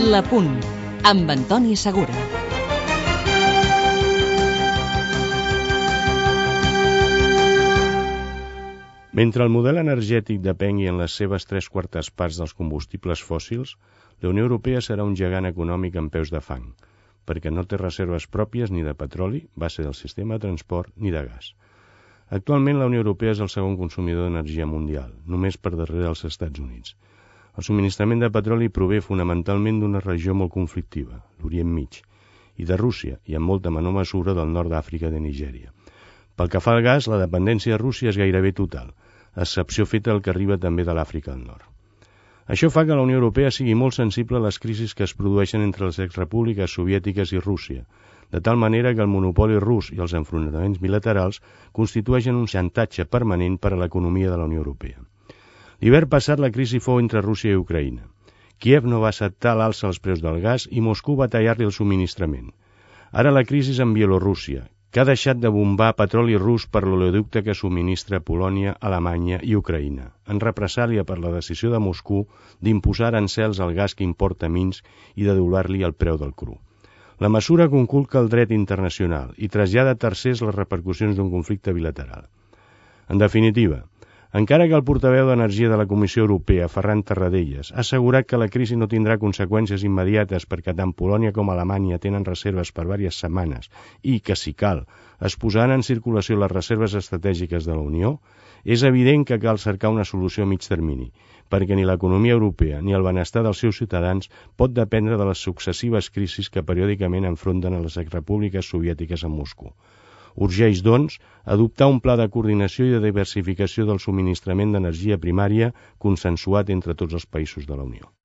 La Punt, amb Antoni Segura. Mentre el model energètic depengui en les seves 3/4 parts dels combustibles fòssils, la Unió Europea serà un gegant econòmic amb peus de fang, perquè no té reserves pròpies ni de petroli, base del sistema de transport, ni de gas. Actualment, la Unió Europea és el segon consumidor d'energia mundial, només per darrere dels Estats Units. El subministrament de petroli prové fonamentalment d'una regió molt conflictiva, l'Orient Mig, i de Rússia, i en molta menor mesura del nord d'Àfrica de Nigèria. Pel que fa al gas, la dependència de Rússia és gairebé total, a excepció feta del que arriba també de l'Àfrica del Nord. Això fa que la Unió Europea sigui molt sensible a les crisis que es produeixen entre les exrepúbliques soviètiques i Rússia, de tal manera que el monopoli rus i els enfrontaments bilaterals constitueixen un xantatge permanent per a l'economia de la Unió Europea. L'hivern passat la crisi fou entre Rússia i Ucraïna. Kíev no va acceptar l'alça als preus del gas i Moscou va tallar-li el subministrament. Ara la crisi és en Bielorússia, que ha deixat de bombar petroli rus per l'oleoducte que subministra Polònia, Alemanya i Ucraïna, en represàlia per la decisió de Moscou d'imposar arancels al gas que importa Minsk i de doblar-li el preu del cru. La mesura conculca el dret internacional i trasllada a tercers les repercussions d'un conflicte bilateral. En definitiva, encara que el portaveu d'Energia de la Comissió Europea, Ferran Tarradellas, ha assegurat que la crisi no tindrà conseqüències immediates perquè tant Polònia com Alemanya tenen reserves per diverses setmanes i que, si cal, es posaran en circulació les reserves estratègiques de la Unió, és evident que cal cercar una solució a mig termini, perquè ni l'economia europea ni el benestar dels seus ciutadans pot dependre de les successives crisis que periòdicament enfronten a les exrepúbliques soviètiques amb Moscou. Urgeix, doncs, adoptar un pla de coordinació i de diversificació del subministrament d'energia primària consensuat entre tots els països de la Unió.